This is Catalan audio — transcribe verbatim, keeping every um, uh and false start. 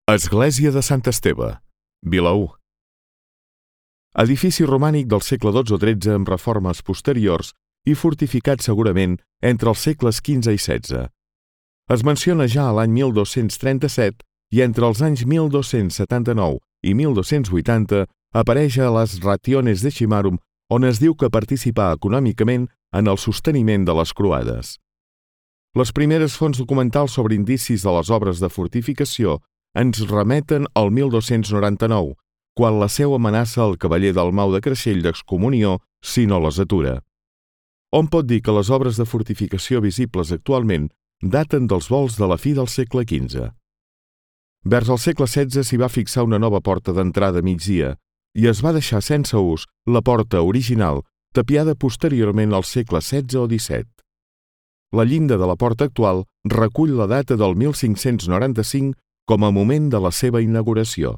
Església de Sant Esteve, Vilaür. Edifici romànic del segle dotze o tretze amb reformes posteriors i fortificat segurament entre els segles quinze i setze. Es menciona ja a l'any mil dos-cents trenta-set i entre els anys mil dos-cents setanta-nou i mil dos-cents vuitanta apareix a les Rationes Decimarum, on es diu que participà econòmicament en el sosteniment de les croades. Les primeres fonts documentals sobre indicis de les obres de fortificació ens remeten al mil dos-cents noranta-nou, quan la seu amenaça el cavaller Dalmau de Creixell d'excomunió si no les atura. Hom pot dir que les obres de fortificació visibles actualment daten dels volts de la fi del segle quinze. Vers el segle setze s'hi va fixar una nova porta d'entrada a migdia i es va deixar sense ús la porta original, tapiada posteriorment al segle setze o disset. La llinda de la porta actual recull la data del mil cinc-cents noranta-cinc com a moment de la seva inauguració.